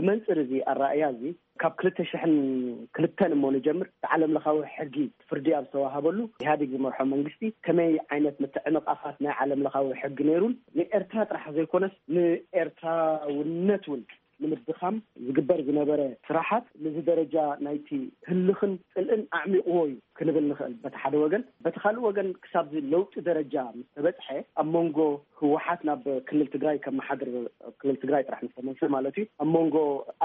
መንፅር እዚ ኣረኣእያ እዚ ካብ ክልተ ሽሕን ክልተን እሞ ንጀምር፣ ዓለም ለኻዊ ሕጊ ፍርዲ ኣብ ዝተዋሃበሉ፣ ኢህኣዴግ ዝመርሖ መንግስቲ ከመይ ዓይነት ምትዕንቓፋት ናይ ዓለም ለኻዊ ሕጊ ነይሩን፣ ንኤርትራ ጥራሕ ዘይኮነስ ንኤርትራውነት እውን ንምድኻም ዝግበር ዝነበረ ስራሓት፣ ነዚ ደረጃ ናይቲ ህልኽን ጽልእን ኣዕሚቕዎ እዩ ክንብል ንኽእል፣ በቲ ሓደ ወገን። በቲ ካልእ ወገን፣ ክሳብ እዚ ለውጢ ደረጃ ምስ ተበጽሐ፣ ኣብ መንጎ ህወሓት ናብ ክልል ትግራይ ከመሓድር፣ ኣብ ክልል ትግራይ ጥራሕ ምስ ተመልሰ ማለት እዩ፣ ኣብ መንጎ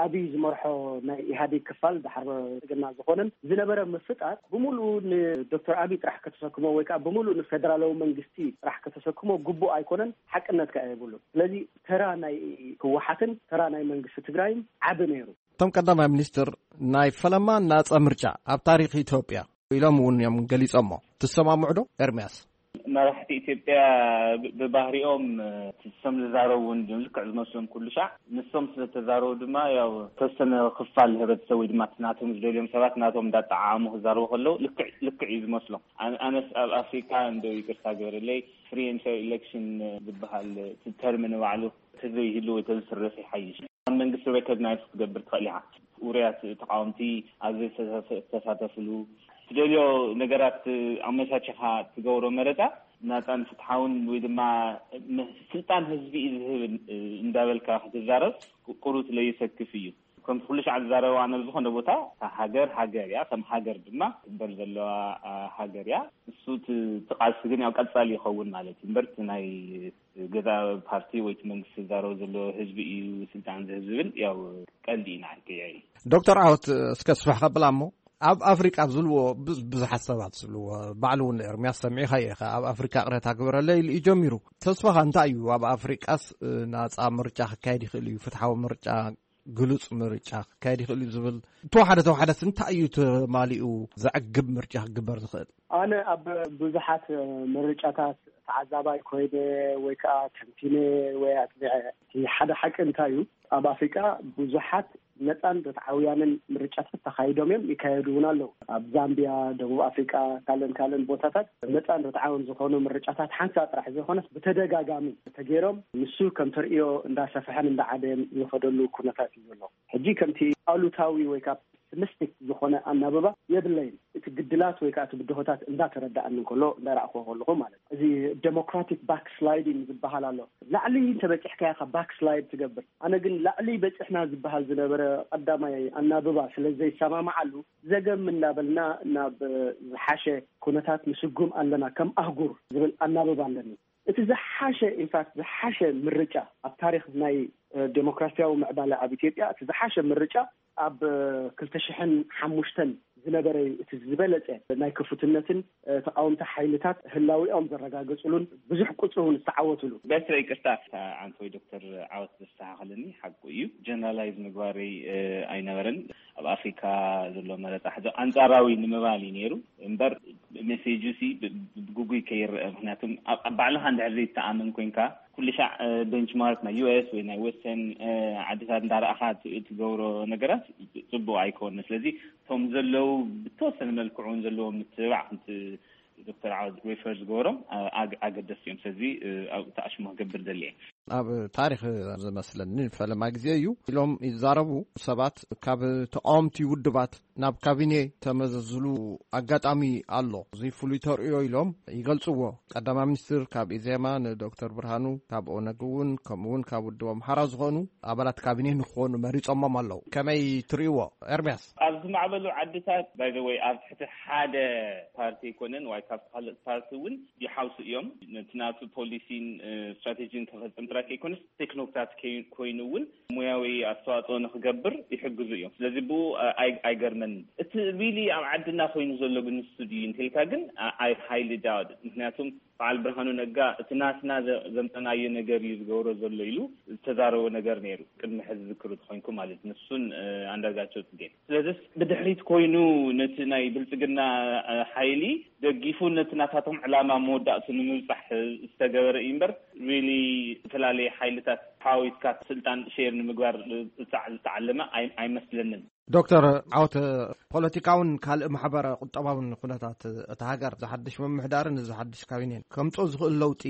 ኣብይ ዝመርሖ ናይ ኢህኣዴግ ክፋል፣ ዳሕር ብልጽግና ዝኾነን ዝነበረ ምፍጣር፣ ብምሉኡ ንዶክተር ኣብይ ጥራሕ ከተሰክሞ ወይ ከዓ ብምሉኡ ንፌደራላዊ መንግስቲ ጥራሕ ከተሰክሞ ግቡእ ኣይኮነን፣ ሓቅነት ከኣ የብሉን። ስለዚ ተራ ናይ ህወሓትን ተራ ናይ መንግስቲ ትግራይን ዓቢ ነይሩ። እቶም ቀዳማይ ሚኒስትር፣ ናይ ፈለማ ናጻ ምርጫ ኣብ ታሪኽ ኢትዮጵያ ኢሎም እውን እዮም ገሊጾሞ። ትሰማምዑ ዶ? ኤርምያስ። መራሕቲ ኢትዮጵያ ብ-፣ ብባህሪኦም፣ እ፣ እቶም ዝዛረቡ እውን ልክዕ ዝመስሎም ኩሉ ሻዕ። ንሶም ስለ ተዛረቡ ድማ፣ ያው፣ ተወሰነ ክፋል ህብረተሰብ ወይ ድማ እቲ ናቶም ዝደልዮም ሰባት ናቶም እንዳጠዓዓሙ ክዛረቡ ከለዉ ልክዕ፣ ልክዕ እዩ ዝመስሎም። ኣነ-፣ ኣነስ ኣብ ኣፍሪካ፣ እንዶ ይቅርታ ግበረለይ፣ free and fair election ዝበሃል እቲ ተርሚ ንባዕሉ ተዘይህሉ ወይ ተዝስረስ ይሓይሽ። ኣብ መንግስቲ ሬኮግናይዝ ክትገብር ትኽእል ኢኻ። ውሩያት ተቃወምቲ ኣብ ዘይተሳተፍሉ፣ ትደልዮ ነገራት ኣመቻችኻ ትገብሮ መረፃ፣ ናፃን ፍትሓውን ወይ ድማ ም-፣ ስልጣን ህዝቢ እዩ ዝህብ እንዳበልካ ክትዛረብ ቁሩብ ስለይሰክፍ እዩ። ከምቲ ኩሉ ሻዕ ዝዛረበ፣ ኣነ ኣብ ዝኾነ ቦታ፣ እታ ሃገር ሃገር እያ፣ ከም ሃገር ድማ ትግበር ዘለዋ፣ አ፣ ሃገር እያ። ንሱ እቲ፣ እቲ ቃልሲ ግን ያው ቀጻሊ ይኸውን ማለት እዩ እምበር፣ እቲ ናይ ገዛ ፓርቲ ወይ እቲ መንግስቲ ዝዛረቦ ዘሎ ህዝቢ እዩ ስልጣን ዝህብ ዝብል ያው ቀልዲ ኢና ክያይ። ዶክተር ዓወት፣ እስከ ስፍሕ ከብላ እሞ፣ ኣብ ኣፍሪቃ ዝብልዎ ብዙ-፣ ብዙሓት ሰባት ዝብልዎ፣ ባዕሉ እውን ኤርምያስ ሰሚዕኻ ኢኻ፣ ኣብ ኣፍሪቃ ቅሬታ ግበረለይ ኢሉ እዩ ጀሚሩ። ተስፋኻ እንታይ እዩ? ኣብ ኣፍሪቃስ፣ እ፣ ናጻ ምርጫ ክካየድ ይኽእል እዩ፣ ፍትሓዊ ምርጫ፣ ግሉጽ ምርጫ ክካየድ ይኽእል እዩ ዝብል፣ ተወሓደ ተወሓደስ እንታይ እዩ ተማሊኡ ዘዕግብ ምርጫ ክግበር ዝኽእል? ኣነ ኣብ ብዙሓት ምርጫታት ተዓዛባይ ኮይነ ወይ ከዓ ተንቲነ ወይ ኣጽኒዐ። እቲ ሓደ ሓቂ እንታይ እዩ? ኣብ ኣፍሪቃ ብዙሓት ነፃን ርትዓውያንን ምርጫታት ተኻይዶም እዮም፣ ይካየዱ እውን ኣለዉ። ኣብ ዛምቢያ፣ ደቡብ ኣፍሪቃ፣ ካልእን ካልእን ቦታታት ነፃን ርትዓውን ዝኾኑ ምርጫታት ሓንሳእ ጥራሕ ዘይኮነስ ብተደጋጋሚ ተገይሮም፣ ንሱ ከም ተርእዮ እንዳሰፍሐን እንዳዓበየን ዝኸደሉ ኩነታት እዩ ዘሎ። ሕጂ ከምቲ ኣሉታዊ ወይ ካብ ፔሲሚስቲክ ዝኾነ ኣናብባ የብለይን። እቲ ግድላት ወይ ከዓ እቲ ብድሆታት እንዳተረዳኣኒ እንከሎ፣ እንዳረኣኽዎ ከለኹ ማለት እዩ። እዚ ዴሞክራቲክ ባክስላይዲንግ ዝበሃል ኣሎ። ላዕሊ እንተበፂሕካያ ኢኻ ባክስላይድ ትገብር። ኣነ ግን ላዕሊ በፂሕና ዝበሃል ዝነበረ ቀዳማይ ኣናብባ ስለ ዘይሰማማዓሉ፣ ዘገም እናበልና ናብ ዝሓሸ ኩነታት ንስጉም ኣለና ከም ኣህጉር ዝብል ኣናብባ ኣለኒ። እቲ ዝሓሸ፣ ኢንፋክት ዝሓሸ ምርጫ ኣብ ታሪኽ ናይ፣ እ፣ ዴሞክራሲያዊ ምዕባለ ኣብ ኢትዮጵያ፣ እቲ ዝሓሸ ምርጫ ኣብ፣ እ፣ ክልተ ሽሕን ሓሙሽተን ዝነበረ እዩ። እቲ ዝበለጸ ናይ ክፉትነትን፣ እ፣ ተቃወምቲ ሓይልታት ህላዊኦም ዘረጋገጽሉን ብዙሕ ቁጽሪ እውን ዝተዓወትሉ። በስረ ይቅርታ፣ ኣንቶይ ዶክተር ዓወት ዘስተኻኸለኒ ሓቁ እዩ። ጀነራላይዝ ምግባረይ፣ እ፣ ኣይነበረን። ኣብ ኣፍሪካ ዘሎ መረፃ ሕዚ ኣንጻራዊ ንምባል እዩ ነይሩ እምበር፣ ሜሴጁ ሲ ብ-፣ ብ-፣ ብግጉይ ከይረአ። ምክንያቱም ኣብ፣ ኣብ ባዕልኻ እንድሕር ዘይተኣምን ኮይንካ፣ ኩሉ ሻዕ፣ እ፣ ቤንችማርክ ናይ ዩ ኤስ ወይ ናይ ወስተርን፣ እ፣ ዓድታት እንዳረኣኻ ት-፣ ትገብሮ ነገራት ጽቡቅ ኣይኮነ። ስለዚ እቶም ዘለዉ ብተወሰነ መልክዑ እውን ዘለዎም ምትብባዕ፣ ከምቲ ዶክተር ዓወት ሬፈር ዝገበሮም፣ እ፣ ኣግ-፣ ኣገደስቲ እዮም። ስለዚ፣ እ፣ ኣብኡ ተኣሽሞ ክገብር ደልየ። ኣብ ታሪኽ ዝመስለኒ ፈለማ ግዜ እዩ ኢሎም ይዛረቡ ሰባት። ካብ ተቃወምቲ ውድባት ናብ ካቢኔ ተመዘዝሉ ኣጋጣሚ ኣሎ። እዚ ፍሉይ ተርእዮ ኢሎም ይገልጽዎ። ቀዳማይ ሚኒስትር ካብ ኢዜማ ንዶክተር ብርሃኑ፣ ካብ ኦነግ እውን፣ ከምኡ እውን ካብ ውድብ ኣምሓራ ዝኾኑ ኣባላት ካቢኔ ንክኾኑ መሪጾሞም ኣለዉ። ከመይ ትርእይዎ ኤርምያስ? ኣብ ዝማዕበሉ ዓድታት፣ ባይ ዘ ወይ፣ ኣብ ትሕቲ ሓደ ፓርቲ ኣይኮነን፣ ወይ ካብ ካልእ ፓርቲ እውን ይሓውሱ እዮም። ነቲ ናቱ ፖሊሲን፣ እ፣ ስትራቴጂን ከፈጽም ጥራይ ከይኮነስ፣ ቴክኖክራት ከይ-፣ ኮይኑ እውን ሞያዊ ኣስተዋጽኦ ንክገብር ይሕግዙ እዮም። ስለዚ ብኡ፣ እ፣ ኣይ-፣ ኣይገርመንን። እቲ ሪሊ ኣብ ዓድና ኮይኑ ዘሎ ግን ንሱ ድዩ እንተልካ ግን፣ ኣ-፣ ኣይ ሃይሊ ዳውት። ምክንያቱም በዓል ብርሃኑ ነጋ እቲ ናትና ዘ-፣ ዘምፀናዮ ነገር እዩ ዝገብሮ ዘሎ ኢሉ ዝተዛረቦ ነገር ነይሩ። ቅድሚ ሕዚ ዝክሩ ተኮይንኩ ማለት ንሱን፣ እ፣ ኣንዳርጋቸው ጽጌን። ስለዚስ ብድሕሪት ኮይኑ ነቲ ናይ ብልጽግና፣ እ፣ ሓይሊ ደጊፉ ነቲ ናታቶም ዕላማ መወዳእቱ ንምብጻሕ ዝተገበረ እዩ እምበር፣ ሪሊ ዝተፈላለየ ሓይልታት ሓዊስካ ስልጣን ሼር ንምግባር ዝጸዕ-፣ ዝተዓለመ ኣይ-፣ ኣይመስለንን። ዶክተር ዓወት፣ ፖለቲካውን ካልእ ማሕበረ ቁጠባውን ኩነታት እታ ሃገር፣ ዝሓድሽ ምምሕዳርን ዝሓድሽ ካቢኔን ከምጽኦ ዝኽእል ለውጢ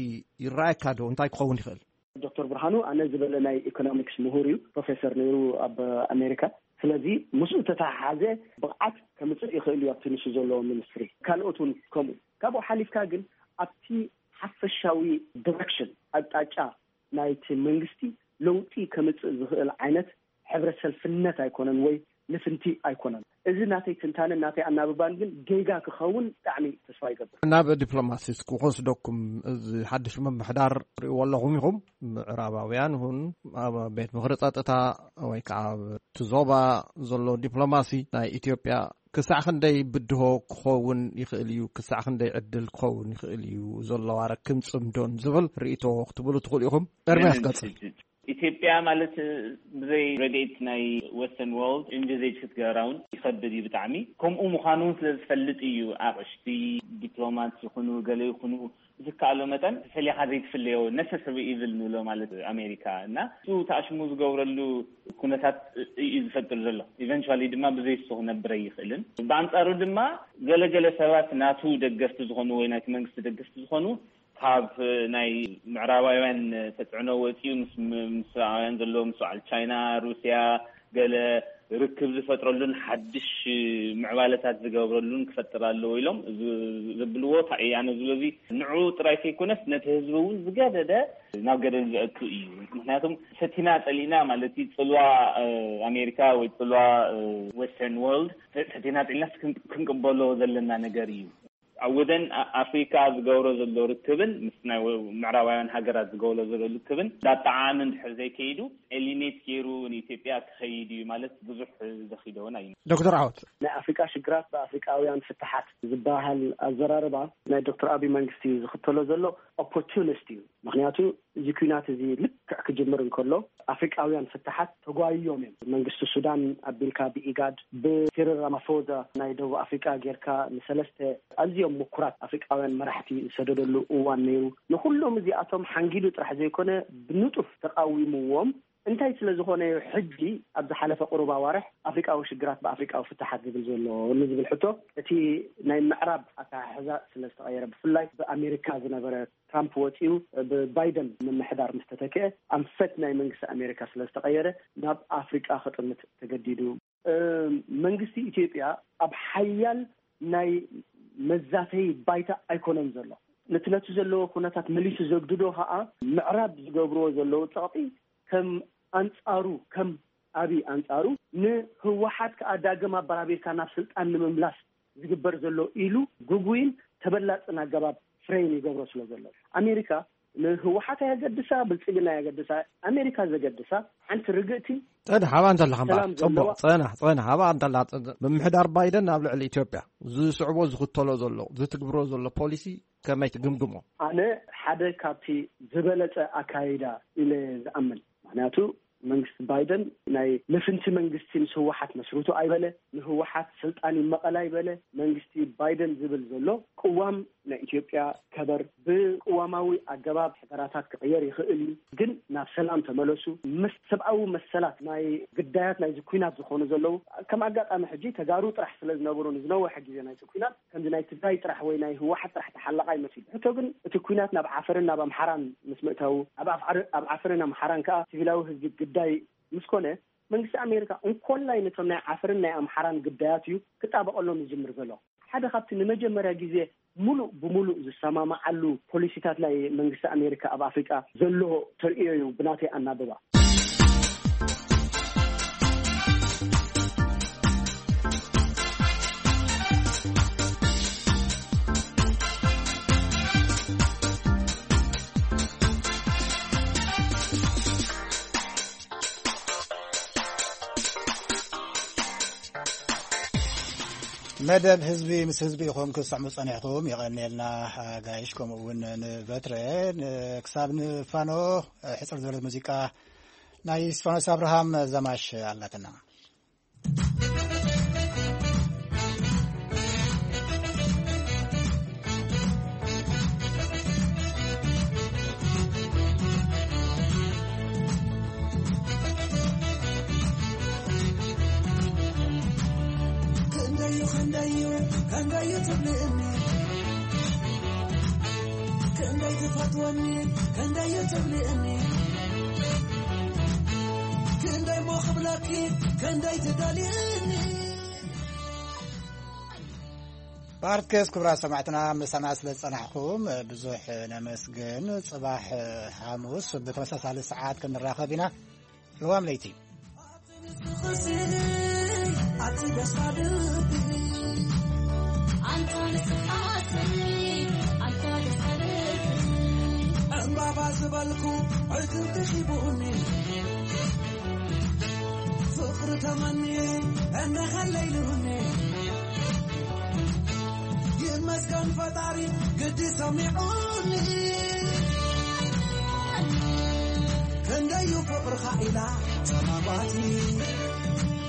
ይረኣየካ ዶ? እንታይ ክኸውን ይኽእል? ዶክተር ብርሃኑ ኣነ ዝበለ ናይ ኢኮኖሚክስ ምሁር እዩ፣ ፕሮፌሰር ነይሩ ኣብ ኣሜሪካ። ስለዚ ምስኡ ተተሓሓዘ ብቕዓት ከምፅእ ይኽእል እዩ ኣብቲ ንሱ ዘለዎ ሚኒስትሪ። ካልኦት እውን ከምኡ። ካብኡ ሓሊፍካ ግን ኣብቲ ሓፈሻዊ ዲሬክሽን፣ ኣቅጣጫ ናይቲ መንግስቲ ለውጢ ከምፅእ ዝኽእል ዓይነት ሕብረት ሰልፍነት ኣይኮነን ወይ ልፍንቲ ኣይኮነን። እዚ ናተይ ትንታነን ናተይ ኣናብባን ግን ጌጋ ክኸውን ብጣዕሚ ተስፋ ይገብር። ናብ ዲፕሎማሲ እስኪ ክወስደኩም፣ እዚ ሓድሽ ምምሕዳር ትርእይዎ ኣለኹም ኢኹም? ምዕራባውያን ይኹን ኣብ ቤት ምኽሪ ጸጥታ ወይ ከዓ ኣብቲ ዞባ ዘሎ ዲፕሎማሲ ናይ ኢትዮጵያ ክሳዕ ክንደይ ብድሆ ክኸውን ይኽእል እዩ? ክሳዕ ክንደይ ዕድል ክኸውን ይኽእል እዩ? ዘለዋ ረክን ጽምዶን ዝብል ርእይቶ ክትብሉ ትኽእሉ ኢኹም። ኤርምያስ ቀጽል። ኢትዮጵያ ማለት ብዘይ ረድኤት ናይ ወስተርን ወርልድ ኢንቪዜጅ ክትገብራ እውን ይኸብድ እዩ ብጣዕሚ። ከምኡ ምዃኑ እውን ስለ ዝፈልጥ እዩ ኣቕሽቲ ዲፕሎማት ይኹኑ ገለ ይኹኑ ብዝከኣሎ መጠን ፈሊኻ ዘይትፍለዮ ነሰሰሪ ኢቭል ንብሎ ማለት ኣሜሪካ እና እሱ ተኣሽሙ ዝገብረሉ ኩነታት እዩ ዝፈጥር ዘሎ። ኢቨንቹዋሊ ድማ ብዘይ እሱ ክነብር ኣይኽእልን። ብኣንጻሩ ድማ ገለገለ ሰባት ናቱ ደገፍቲ ዝኾኑ ወይ ናይቲ መንግስቲ ደገፍቲ ዝኾኑ ካብ ናይ ምዕራባውያን ተፅዕኖ ወፂኡ ምስ ምስራውያን ዘለዎ ምስ በዓል ቻይና፣ ሩስያ ገለ ርክብ ዝፈጥረሉን ሓድሽ ምዕባለታት ዝገብረሉን ክፈጥር ኣለዎ ኢሎም ዝ- ዝብልዎ እንታይ እዩ? ኣነ ዝብሎ እዚ ንዑ ጥራይ ከይኮነስ ነቲ ህዝቢ እውን ዝገደደ ናብ ገደል ዘእቱ እዩ። ምክንያቱም ፈቲና ፀሊእና ማለት እዩ ፅልዋ ኣሜሪካ ወይ ፅልዋ ወስተርን ወርልድ ፈቲና ፀሊእና ክንቅበሎ ዘለና ነገር እዩ። ኣብ ወደን ኣፍሪካ ዝገብሮ ዘሎ ርክብን ምስ ናይ ምዕራባውያን ሃገራት ዝገብሮ ዘሎ ርክብን ዳጣዓሚ እንድሕር ዘይከይዱ ኤሊኔት ገይሩ ንኢትዮጵያ ክኸይድ እዩ ማለት ብዙሕ ዘኺደውን ኣይነ። ዶክተር ዓወት፣ ናይ ኣፍሪካ ሽግራት ብኣፍሪካውያን ፍትሓት ዝበሃል ኣዘራርባ ናይ ዶክተር ኣብይ መንግስቲ ዝኽተሎ ዘሎ ኦፖርቹኒስት እዩ። ምክንያቱ እዚ ኩናት እዚ ልክዕ ክጅምር እንከሎ ኣፍሪቃውያን ፍትሓት ተጓይዮም እዮም። መንግስቲ ሱዳን ኣቢልካ ብኢጋድ ብሲሪል ራማፎዛ ናይ ደቡብ ኣፍሪቃ ጌርካ ንሰለስተ ኣዝዮም ምኩራት ኣፍሪቃውያን መራሕቲ ዝሰደደሉ እዋን ነይሩ። ንኩሎም እዚኣቶም ሓንጊዱ ጥራሕ ዘይኮነ ብንጡፍ ተቃዊምዎም። እንታይ ስለ ዝኾነ እዩ ሕጂ ኣብ ዝሓለፈ ቁሩብ ኣዋርሕ ኣፍሪቃዊ ሽግራት ብኣፍሪቃዊ ፍትሓት ዝብል ዘሎ ንዝብል ሕቶ? እቲ ናይ ምዕራብ ኣተሓሕዛ ስለ ዝተቐየረ፣ ብፍላይ ብኣሜሪካ ዝነበረ ትራምፕ ወፂኡ ብባይደን ምምሕዳር ምስ ተተክአ ኣንፈት ናይ መንግስቲ ኣሜሪካ ስለ ዝተቐየረ ናብ ኣፍሪቃ ክጥምት ተገዲዱ። መንግስቲ ኢትዮጵያ ኣብ ሓያል ናይ መዛተይ ባይታ ኣይኮነን ዘሎ። ነቲ ነቲ ዘለዎ ኩነታት መሊሱ ዘግድዶ ከዓ ምዕራብ ዝገብርዎ ዘለዉ ፀቕጢ ከም ኣንፃሩ ከም ኣብይ ኣንፃሩ ንህወሓት ከዓ ዳግም ኣበራቢርካ ናብ ስልጣን ንምምላስ ዝግበር ዘሎ ኢሉ ግጉይን ተበላፅን ኣገባብ ፍሬም ይገብሮ ስለ ዘሎ ኣሜሪካ ንህወሓት ኣየገድሳ ብልፅግና ኣየገድሳ ኣሜሪካ ዘገድሳ ሓንቲ ርግእቲ ፀንሕ ኣብኣ እንተለኻ እምበኣር ሰላም ዘለዋ ፅቡቕ። ፀንሕ ፀንሕ ኣብኣ እንተላ ምምሕዳር ባይደን ኣብ ልዕሊ ኢትዮጵያ ዝስዕቦ ዝኽተሎ ዘሎ ዝትግብሮ ዘሎ ፖሊሲ ከመይ ትግምግሞ? ኣነ ሓደ ካብቲ ዝበለፀ ኣካይዳ ኢለ ዝኣምን ምክንያቱ መንግስቲ ባይደን ናይ ልፍንቲ መንግስቲ ምስ ህወሓት መስርቱ ኣይበለ፣ ንህወሓት ስልጣን ይመቐል ኣይበለ። መንግስቲ ባይደን ዝብል ዘሎ ቅዋም ናይ ኢትዮጵያ ከበር ብቅዋማዊ ኣገባብ ሕደራታት ክቕየር ይኽእል እዩ፣ ግን ናብ ሰላም ተመለሱ። ምስ ሰብኣዊ መሰላት ናይ ግዳያት ናይዚ ኩናት ዝኾኑ ዘለዉ ከም ኣጋጣሚ ሕጂ ተጋሩ ጥራሕ ስለ ዝነበሩ ንዝነወሐ ግዜ ናይቲ ኩናት ከምዚ ናይ ትግራይ ጥራሕ ወይ ናይ ህወሓት ጥራሕ ተሓለቓ ይመስል። ሕቶ ግን እቲ ኩናት ናብ ዓፈርን ናብ ኣምሓራን ምስ ምእታዉ ኣብ ኣፍዓር- ኣብ ዓፈርን ኣምሓራን ከዓ ሲቪላዊ ህዝቢ ግዳይ ምስ ኮነ መንግስቲ ኣሜሪካ እንኮላይ ነቶም ናይ ዓፈርን ናይ ኣምሓራን ግዳያት እዩ ክጣበቐሎም ዝጅምር ዘሎ። ሓደ ካብቲ ንመጀመርያ ግዜ ሙሉእ ብሙሉእ ዝሰማማዓሉ ፖሊሲታት ናይ መንግስቲ ኣሜሪካ ኣብ ኣፍሪቃ ዘሎ ተርእዮ እዩ ብናተይ ኣናብባ። መደብ ህዝቢ ምስ ህዝቢ ኢኹም ክሰዕሙ ጸኒሕኩም። የቐንየልና ኣጋይሽ፣ ከምኡ እውን ንበትረ። ክሳብ ንፋኖ ሕጽር ዝበለት ሙዚቃ ናይ እስፋኖስ ኣብርሃም ዘማሽ ኣላትና። ክንደዩ ክንደዩ ክንደዩ ትብልእኒ ክንደይ ትፈትወኒ ክንደዩ ትብልእኒ ክንደይ ሞ ክብለኪ፣ ክንደይ ትደልይኒ። ፓርትኬስ ክቡራት ሰማዕትና፣ ምሳና ስለ ዝጸናሕኩም ብዙሕ ነመስግን። ጽባሕ ሓሙስ ብተመሳሳሊ ሰዓት ክንራኸብ ኢና። ልዋም ለይቲ። ዕምባባ ዝበልኩ ዕትብቲ ሒቡኒ፣ ፍቕሪ ተመኒ እነኸለይልሁኒ። ይመስገን ፈጣሪ ግዲ ሰሚዑኒ። ክንደዩ ፍቕርኻ ኢላ ጸማባቲ